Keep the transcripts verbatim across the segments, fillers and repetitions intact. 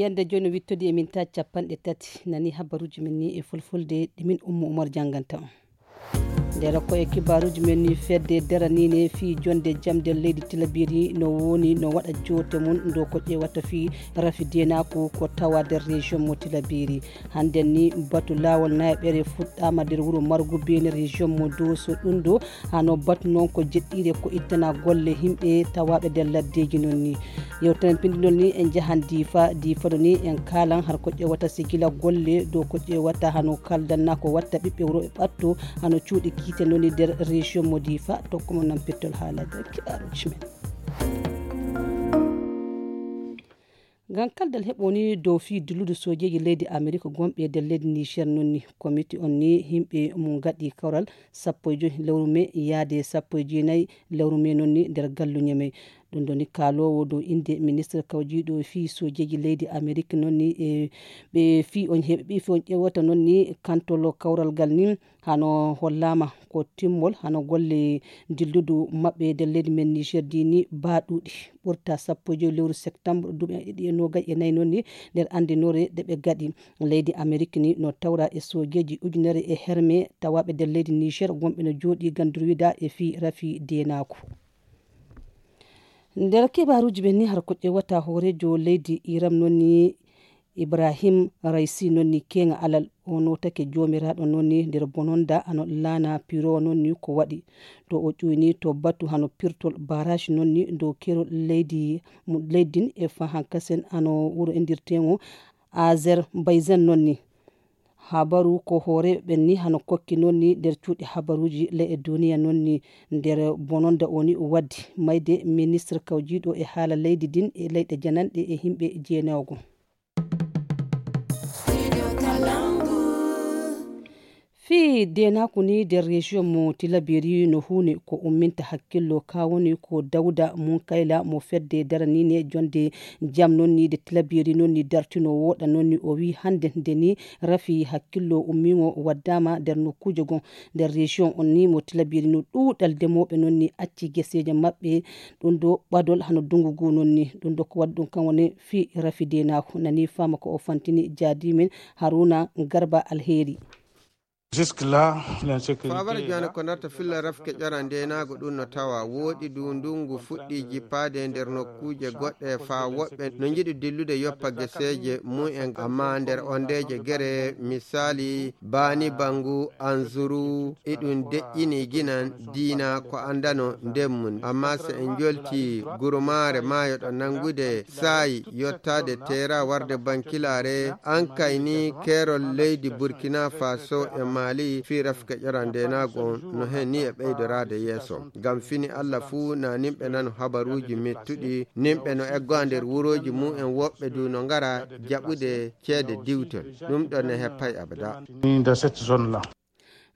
Ende jooni no wittodi e min ta capanɗe tati. Nani habaruuji men ni e fulfulde ɗi min Ummu Umar jannganta on. Nder ko e kibaaruuji men ni, fedde daraniinde fii jonnde jam nder leydi Tilaberi no woni no waɗa joote mum dow ko ƴeewata fii rafi deenaaku ko tawa nder région mo Tilaberi. Hannden ni batu laawol nayaɓere fuɗɗaama nder wuro Margu Beene région mo Dooso ɗum ɗo hano batu noon ko jeɗɗiire ko ittana golle yimɓe tawaaɓe nder laddeeji noon ni. Yewtere pinndinol ni en njahan Diifa, Diifa ɗo ni en kaalan har ko ƴeewata sigila golle dow ko ƴeewata hano kaldanna ko watta ɓiɓɓe wuro e ɓatto hano cuuɗi kiite noon ni nder région mo Diifa. Tokko mo nan pettol haala nder kibaaruuji men. Ngam kaldal heɓo ni dow fii dilludu soojeeji leydi Amerik gonɓe e nder leydi Niger noon ni. Komiti on ni yimɓe mum ngaɗi kawral sappo e joy lewru mee yaade sappo e jeenayi lewru mee noon ni nder galluuje mee. Ɗum ɗo ni kaaloowo dow innde ministre kawjiiɗo fii soojeeji leydi Amerik noon ni e ɓe fii on heɓi fii on ƴeewata noon ni kantolo kawral ngal ni hano hollaama ko timmol hano golle dilludu maɓɓe nder leydi men Niger ndi ni baaɗuɗi ɓurta sappo e joy lewru septembre duuɓi ɗiɗi e noogay e nayi noon ni nder anndinoore nde ɓe gaɗi. Leydi Amerik ni no tawra e soojeeji ujunere e herme tawaaɓe nder leydi Niger gonɓe no jooɗi ngam durwida e fii rafi deenaaku. Nder kibaaruuji ɓen ni har ko ƴeewata hooreejo leydi Iran noon ni Ibrahim Raisi noon ni keeŋa alal o nootake joomiraaɗo noon ni nder bononda hano laana pirowa noon ni ko waɗi to o ƴuyni to batu hano pirtol barrage noon ni dow keerol leydi leydi ndin e fahankasen hano wuro inndirteeŋo Azerbaijan noon ni. Habaru ko hooreeɓe ɓen ni hano kokki noon ni nder cuuɗi habaruuji ley e duniya noon ni nder bononda o ni waddi mayde ministre kawjiiɗo e haala leydi ndin e leyɗe jananɗe e yimɓe jeenayogo. Fii deenaaku ni nder région mo Tilaberi no huuni ko umminta hakkillo ka woni ko Dawda Munkayla mo fedde daraniinde jonnde jam noon ni nde Tilaberi noon ni dartino wooɗa noon ni o wii hannde nde ni rafi hakkillo ummiingo waddaama nder nokkuuje goo nder région on ni mo Tilaberi no ɗuuɗal ndemooɓe noon ni acci geseeje maɓɓe ɗum ɗo ɓadol hano dungu ngu noon ni ɗum ɗo ko waɗi ɗum kan woni fii rafi deenaaku nani faama ko o fantini jaadiimin Haruna Garba Alheri. Fabara jana ko narta filla rafke ƴara ndenaago ɗum no tawa wooɗi du ndungu fuɗɗi jippaade nder nokkuuje goɗɗe faa woɓɓe no njiɗi dillude yoppa geseeje mumen amma nder ondeeje gere misaali baani bangu anzuru iɗum deƴƴini ginan diina ko andano ndemmun amma so en jolti gurumaare maayo ɗo nangude saayi yottaade teera warde bankilaare an kayni keerol leydi burkina faso e mali fii rafke ƴora ndenaagu on no hen ni e ɓeydoraade yeeso ngam fini allah fuu na nimɓe nano habaruuji mettuɗi nimɓe no eggoa nder wurooji mumen woɓɓe du no ngara jaɓude ceede diwtol ɗum ɗon ne heppay abada.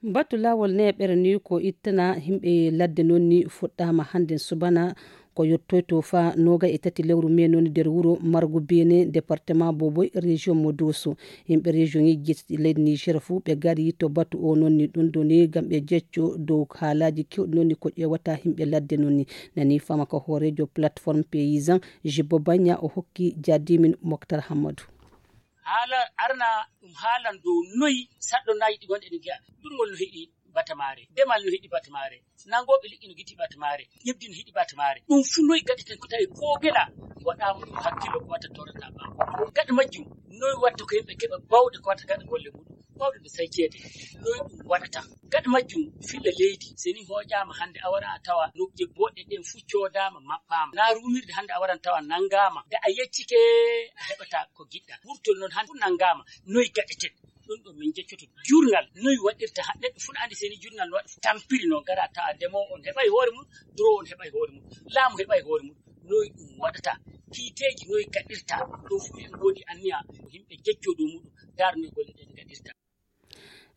Batu laawol neeɓere ni ko ittana yimɓe ladde noon ni fuɗɗaama hannde subana ko yottoyto faa noogay e tati lewru mee noon nder wuro margu beene département boboy région mo dooso. Yimɓe région ŋeji jeetati leydi niger fuu ɓe ngari to batu o noon ni ɗum ɗo ni ngam ɓe jecco dow haalaaji kewɗi noon ni ko ƴeewata yimɓe ladde noon ni. Nani fama ko hooreejo plateforme paysan jibbo bagna o hokki jadimin moktar hammadou. Haala arna ɗum haalan dow noyi saɗɗo nayi ɗi gonɗe ɗi ngi'a ɗum ngol no heɗi batamaare demal no heɗi batamaare nangooɓe liƴƴi no gitti batamaare ƴebdi no heɗi batamaare ɗum fuu noyi gaɗeten ko tawi ko gela waɗaama ɗum hakkillo ko watta torata ɓaawo gaɗa majjum noyi watta ko yimɓe keɓa bawɗe ko watta gaɗa golle muɗum bawɗe ɓe sayceede noyi ɗum waɗata gaɗa majjum filla leydi so ni hooƴaama hannde a wara a tawa nokkuuje booɗɗe ɗen fuu coodaama maɓɓaama na ruumirde hannde a waran tawa nanngaama nde a yeccike a heɓata ko giɗɗa wurtol noon hannde fuu nanngaama noyi gaɗeten ɗum ɗo min jeccoto jurnal noyi waɗirta ha neɗɗo fuu no anndi seni jurnal no waɗa tampiri noon gara tawa ndemowo on heɓay hoore mum durowo on heɓay hoore mum laamu heɓay hoore mum noyi ɗum waɗata kiiteeji noyi gaɗirta ɗo fuu en ngoodi anniya ko yimɓe jecco dow muɗum ndaar noyi golle ɗen gaɗirta.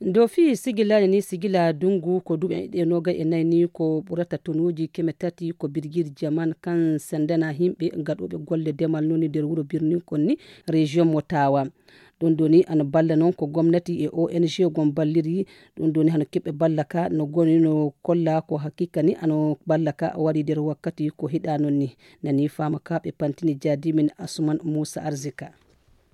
Dow fii sigilaade ni sigila dunngu ko duuɓi ɗe noogay e nayi ni ko ɓurata tonuuji keme tati ko birgir jaman kan sendana yimɓe gaɗooɓe golle demal noni nder wuro birnin kon ni région mo tawa. Ɗum ɗo ni ana balla noon ko gomnati e ong gon balliri ɗum ɗo ni hano keɓɓe balla ka no goni no kolla ko haqiqa ni ano balla ka wari nder wakkati ko hiɗa noon ni. Nani fama ka ɓe pantini jaadimin asuman moussa arzika.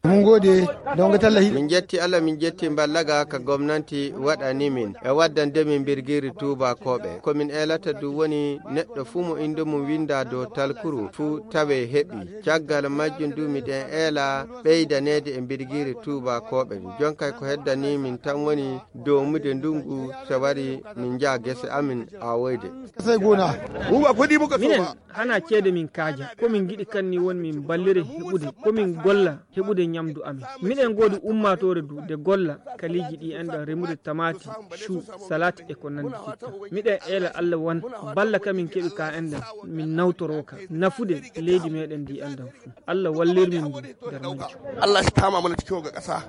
Min njetti Allah, min njetti mballaga ka gomnanti waɗani min e waddande min mbirgiri tuubakooɓe. Ko min eelata du woni neɗɗo fuu mo innde mum winndaa dow talkuru fuu tawee heɓii. Caggal majjum du miɗen eela ɓeydaneede e mbirgiri tuubakooɓe. Jonkay ko heddanii min tan woni doomude ndungu so wari min njaha gese amin awoyde. Minen hana ceede min kaaja. Ko min ngiɗi kan ni woni min mballire heɓude. Ko min golla heɓude ñamdu amin. Miɗen ngoodi ummaatoore du de golla kaliiji ɗi enɗan remude tamaati, chou, salade e ko nanndi hikka. Miɗen eela Allah wan balla ka min keɓi ka enɗan min nawtoroo ka nafude leydi meɗen ndi enɗan fuu. Allah wallir min ndu nder majjum. Allah si tama mana cikin ga ƙasa.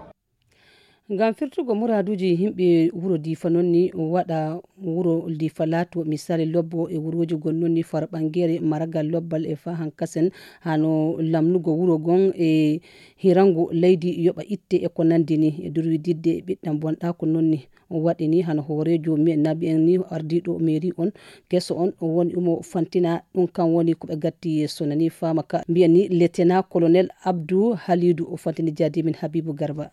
Ngam firtugo muraaduuji yimɓe wuro Diifa non ni waɗa wuro Diifa laato misaali lobbo e wurooji gon non ni far ɓangeere maragal lobbal e faa hankasen hano lamnugo wuro gon e hirango leydi yoɓa itte e ko nandi ni e durwididde ɓiɗɗam bonɗaako non ni waɗi ni hano hooreejo me-, naɓi en ni ardiiɗo mairie on keso on woni umo fantina ɗum kan woni ko ɓe gatti yeeso nani faama ka mbiyan ni lieutenant colonel Abdou Halidou o fantini jaadimin Habibou Garba.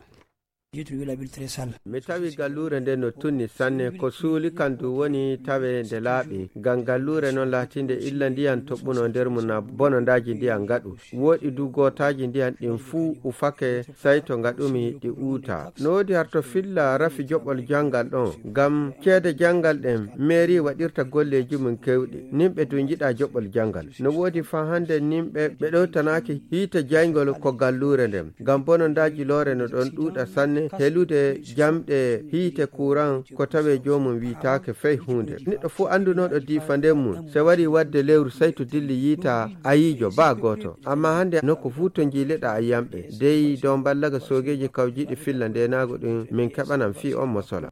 Mi tawi galluure nde no tunni sanne, ko suuli kan du woni tawe nde laaɓi. Ngam galluure non laatinde illa ndiyan toɓɓuno nder mum na bonondaaji ndiyan ngaɗu. Woɗi du gootaaji ndiyan ɗin fuu ufake, sai to ngaɗumi ɗi uuta. No woodi har to filla rafi joɓol janngal ɗon. Ngam ceede janngal ɗen, mairie waɗirta golleeji mum kewɗi. Nimɓe du njiɗa joɓol janngal. No woodi faa hande nimɓe ɓe ɗowtanaaki hiite jayngol ko galluure nden. Ngam bonondaaji loore no ɗon ɗuuɗa sanne, helude jamɗe hiite kuran ko tawe joomum wiitaake fey huunde. Neɗɗo fuu andunooɗo Diifa nden mum, se wari wadde lewru sai to dilli yiita ayiijo baa gooto. Amma hande nokku fuu to njiileɗa ayiyamɓe. Dey dow mballaga soogeeji kawjiiɗi filla ndeenaagu ɗin, min keɓanan fii on mosola.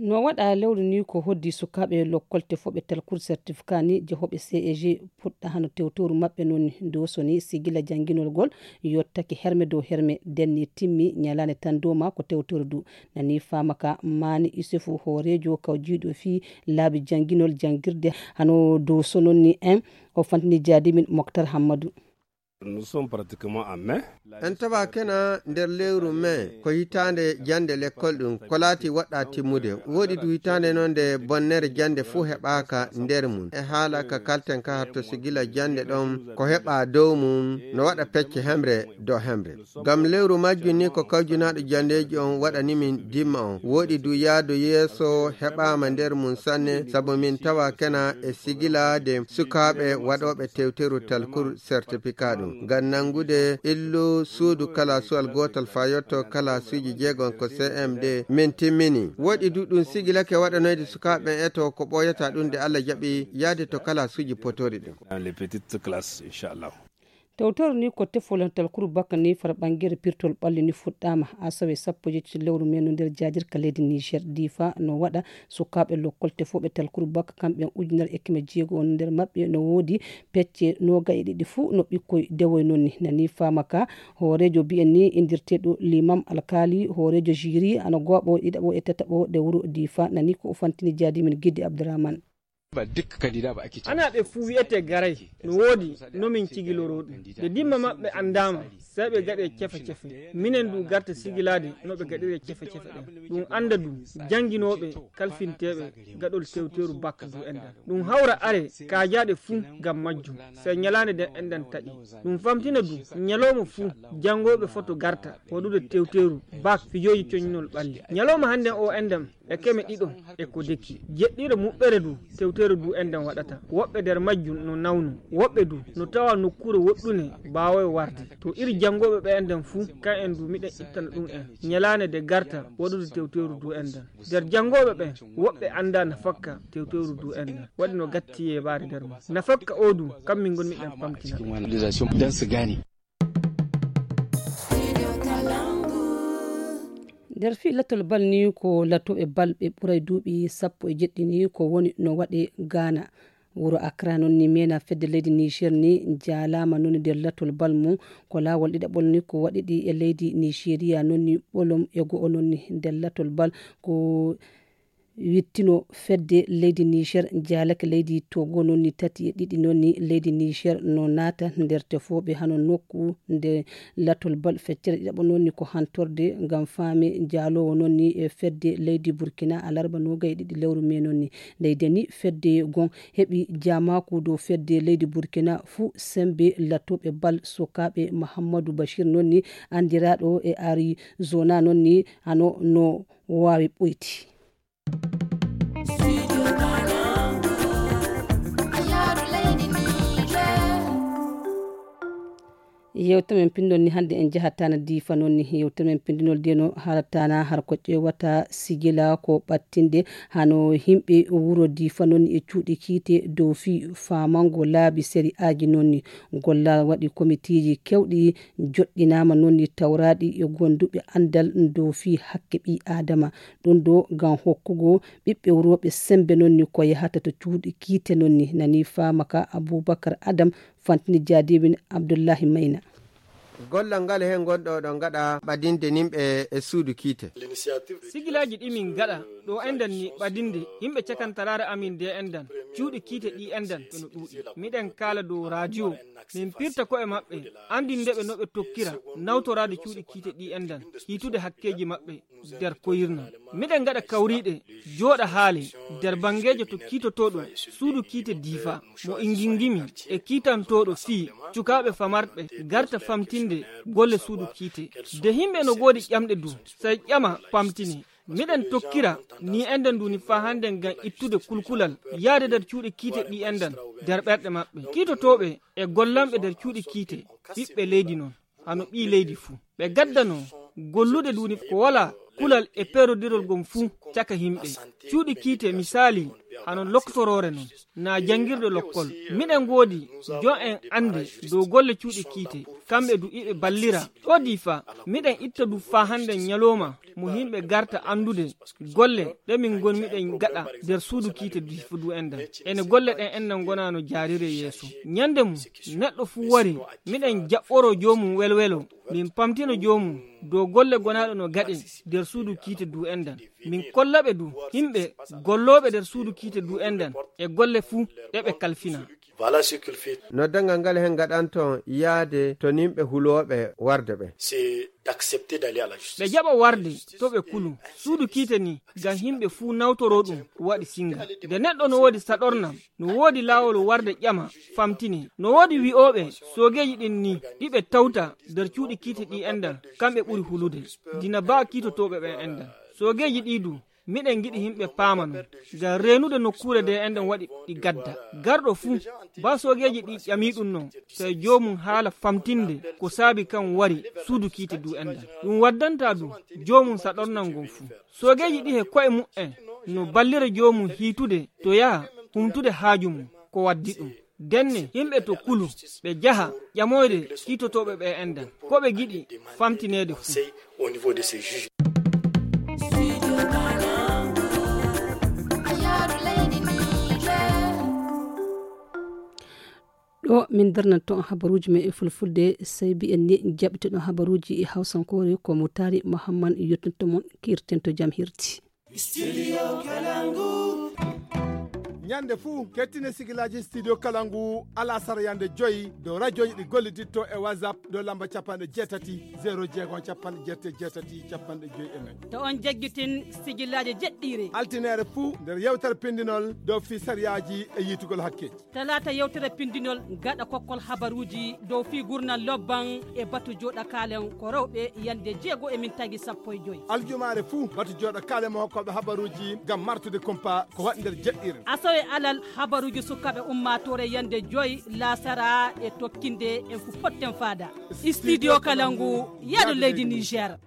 No waɗa lewru ni ko hoddi sukaaɓe lokkolte fof ɓe talkuru certificat ni jehooɓe C E G puɗɗa hano tewtoru maɓɓe non ni doso ni sigila jannginol ngol yottake herme dow herme denni timmi ñalaande tan dow ma ko tewtoru du nani faama ka maani Isufu hooreejo kawjiiɗo fii laabi jannginol janngirde hano doso non ni en o fantini jaadimin Moktar Hammadu. Nous sommes pratiquement en mai. En tawa kena nder lewru mai ko hitaande jannde lekkol ɗum ko laati waɗɗa timmude. Woɗi du hitaande noon nde bonnere jannde fuu heɓaaka nder mum. E haala ka kalten ka hatto si gila jannde ɗon ko heɓa dow mum no waɗa pecce hemre dow hemre. Ngam lewru majjum ni ko kawjunaaɗo janndeeji on waɗani min dimma on. Woɗi du yaadu yeeso heɓaama nder mum sanne sabu min tawa kena e sigilaade sukaaɓe waɗooɓe tewteru talkuru certificat ɗum. Ngam nanngude illu suudu kalaasuwal gootal faa yotto kalaasuuji jeegom ko C M D min timmini. Woɗi du ɗum sigilake waɗanoyde sukaaɓe ɓen eto ko ɓooyata ɗum nde Allah jaɓi yahde to kalaasuuji potori ɗum. Dans les petites classes, inchallah. Tewtoru ni ko tefol talkuru bakka ni fara ɓangere pirtol ɓalli ni fuɗɗaama asawe sappo e jeetati lewru men no nder jaadir ka leydi Niger. Difa no waɗa sukaaɓe lokkol tefooɓe talkuru bakka kamɓe ujunere e keme jeego on nder maɓɓe no woodi pecce nooga e ɗiɗi fuu no ɓikkoy dewoy non ni. Nani faama ka hooreejo bi'en ni indirteeɗo limam alkaali hooreejo jiri ana gooɓo ɗiɗaɓo e tataɓo de wuro Difa nani ko o fantini jaadimin Gidde Abdourahmane. Ba duk kandida ba ake ci. Ana ɓe fuu wi'ete garay no woodi no min cigiloroo ɗum. Nde dimma maɓɓe anndaama, sey ɓe gaɗe cefe-cefe. Minen du garta sigilaade no ɓe gaɗiree cefe-cefe ɗen. Ɗum annda du jannginooɓe kalfinteeɓe gaɗol tewteeru bak du enɗan. Ɗum hawra are kaajaaɗe fuu ngam majjum. Sey ñalaande nden enɗan taƴi. Ɗum famtina du ñalawma fuu janngooɓe foto garta waɗude tewteeru bak fijooji coñinol ɓalli. Ñalawma hannden o enɗan e keme ɗiɗo e ko deki. Jeɗɗiire muɓɓere du, tewtere du enɗan waɗata. Woɓɓe nder majjum no nawnu, woɓɓe du no tawa nokkuure woɗɗune baawoye warde. To iri janngooɓe ɓe enɗan fuu, kan en du miɗen ittana ɗum en ñalaande de garta waɗude tewteru du enɗan. Nder janngooɓe ɓen, woɓɓe anndaa nafakka tewteru du enɗan. Waɗi no gatti yeebaare nder mum. Nafakka o du, kam min ngon miɗen pamtina. Nder fii latol bal ni ko latooɓe bal ɓe ɓuray duuɓi sappo e jeɗɗi ni ko woni no waɗe Gaana. Wuro Akra non ni mena fedde leydi Niger ni jaalaama non ni nder latol bal mum ko laawol ɗiɗaɓol ni ko waɗi ɗi e leydi Nigeria non ni ɓolum e go'o non ni nder latol bal ko wittino fedde leydi Niger jaalake leydi Togo noon ni tati e ɗiɗi noon ni leydi Niger no naata nder tefooɓe hano nokku nde latol bal feccere ɗiɗaɓo noon ni ko hantorde ngam faame jaaloowo noon ni e fedde leydi Burkina alarba noogay e ɗiɗi lewru me noon ni. Leydi ni fedde gon heɓi jaamaaku dow fedde leydi Burkina fuu sembe latooɓe bal sukaaɓe Mahammadu Bashir noon ni anndiraaɗo e Arizona noon ni hano no waawi ɓoyti. Yewta men pinndol ni hannde en jahatana diifa noon ni yewta men pinndinol deno halatana har ko ƴewata sigila ko ɓattinde hano yimɓe wuro diifa noon e cuuɗi kiite dow fii famango laabi seri aji noon ni gollal waɗi komitiiji kewɗi joɗɗinaama noon ni tawraaɗi e gonduɓe anndal dow fii hakke ɓii aadama. Ɗum ɗo ngam hokkugo ɓiɓɓe wurooɓe semmbe noon ni ko yahata to cuuɗi kiite noon ni nani faama ka Abubakar Adam fantini jaadiwin Abdullahi Mayna. Gollal ngal heen ngonɗo oɗon ngaɗa ɓadinde nimɓe e suudu kiite. Sigilaaji ɗi min ngaɗa ɗo enɗan ni ɓadinde yimɓe cakantaraare amin nde enɗan cuuɗi kiite ɗi enɗan ɓe no ɗuuɗi. Miɗen kaala dow raadiyo min pirta ko'e maɓɓe anndinde ɓe no ɓe tokkira nawtoraade cuuɗi kiite ɗi enɗan hiitude hakkeeji maɓɓe nder koyirnal. Miɗen ngaɗa kawriiɗe jooɗa haale nder banngeejo to kiitotooɗo suudu kiite diifa mo ingingimi e kiitantooɗo fii cukaaɓe famarɓe garta famtinde golle suudu kiite. De yimɓe no ngoodi ƴamɗe du sey ƴama pamtine. Miɗen tokkira ni enɗan du ni faa hannden ngam ittude kulkulal yahde nder cuuɗi kiite ɗi enɗan nder ɓerɗe maɓɓe kiitotooɓe e gollanɓe nder cuuɗi kiite ɓiɓɓe leydi noon hano ɓii leydi fuu. Ɓe gaddanoo gollude du ni ko walaa kulal e peerodirol ngon fuu caka yimɓe. Cuuɗi kiite misaali hano loktoroore noon naa janngirde lokkol. Miɗen ngoodi jo en annde dow golle cuuɗi kiite kamɓe du iɓe ballira. Ɗo diifa miɗen itta du faa hannden ñalooma mo yimɓe garta anndude golle ɗe min ngon miɗen ngaɗa nder suudu kiite diifa du enɗan. Ene golle ɗen enɗan ngonaa no jaarire yeeso. Ñannde mum neɗɗo fuu wari miɗen jaɓɓoroo joomum welwelo min pamtina joomum dow golle gonaaɗe no gaɗe nder suudu kiite du enɗan. Min kolla ɓe du yimɓe gollooɓe nder suudu kiite du enɗan e golle fuu ɗe ɓe kalfina. No danngal ngal heen ngaɗanton yahde to nimɓe hulooɓe warde ɓe. Ɓe jaɓa warde to ɓe kulu suudu kiite ni ngam yimɓe fuu nawtoroo ɗum waɗi sinnga. Nde neɗɗo no woodi saɗornam no woodi laawol warde ƴama famtine. No woodi wi'ooɓe soogeeji ɗin ni ɗi ɓe tawta nder cuuɗi kiite ɗi enɗan kamɓe ɓuri hulude dina baa kiitotooɓe ɓen enɗan. Soogeeji ɗi du miɗen ngiɗi yimɓe paama non ngam reenude nokkuure nde enɗan waɗi ɗi gadda. Garɗo fuu baa soogeeji ɗi ƴamii ɗum non sey joomum haala famtinde ko saabi kan wari suudu kiite du enɗan. Ɗum waddantaa du joomum saɗornal ngon fuu. Soogeeji ɗi he ko'e mu'en no ballira joomum hiitude to yaha humtude haaju mum ko waddi ɗum. Denne yimɓe to kulu ɓe jaha ƴamoyde kiitotooɓe ɓe enɗan ko ɓe giɗi famtineede fuu. Ɗo min darnanto on habaruuji men e fulfulde sey mbiyen ni jaɓitoɗon habaruuji e hawsankoore ko mo taari Muhammad yottinto mon kirtento jam hirti. Studio Kalangu. Ñande fuu kettine sigilaaji Studio Kalangu alasara yande joyi dow rajooji ɗi golliditto e WhatsApp dow lamba capanɗe jeetati zero jeego capanɗe jeetati jeetati capanɗe joyi e nayi. To on jaggitin sigilaaji jeɗɗiire. Altineere fuu nder yewtere pindinol dow fii sariyaaji e yiitugol hakkeeji. Talaata yewtere pindinol gaɗa kokkol habaruuji dow fii gurnal lobban e batu jooɗa kaalen ko rewɓe yande jeego e min tagi sappo e joyi. Aljumaare fuu batu jooɗa kaalen mo hokkooɓe habaruuji ngam martude kumpa ko waɗi nder jeɗɗiire. Asawe alal habaruuji sukaaɓe ummaatoore yande joyi laasara e tokkinde en fu potten faada. Studio Kalangu yaado leydi Niger.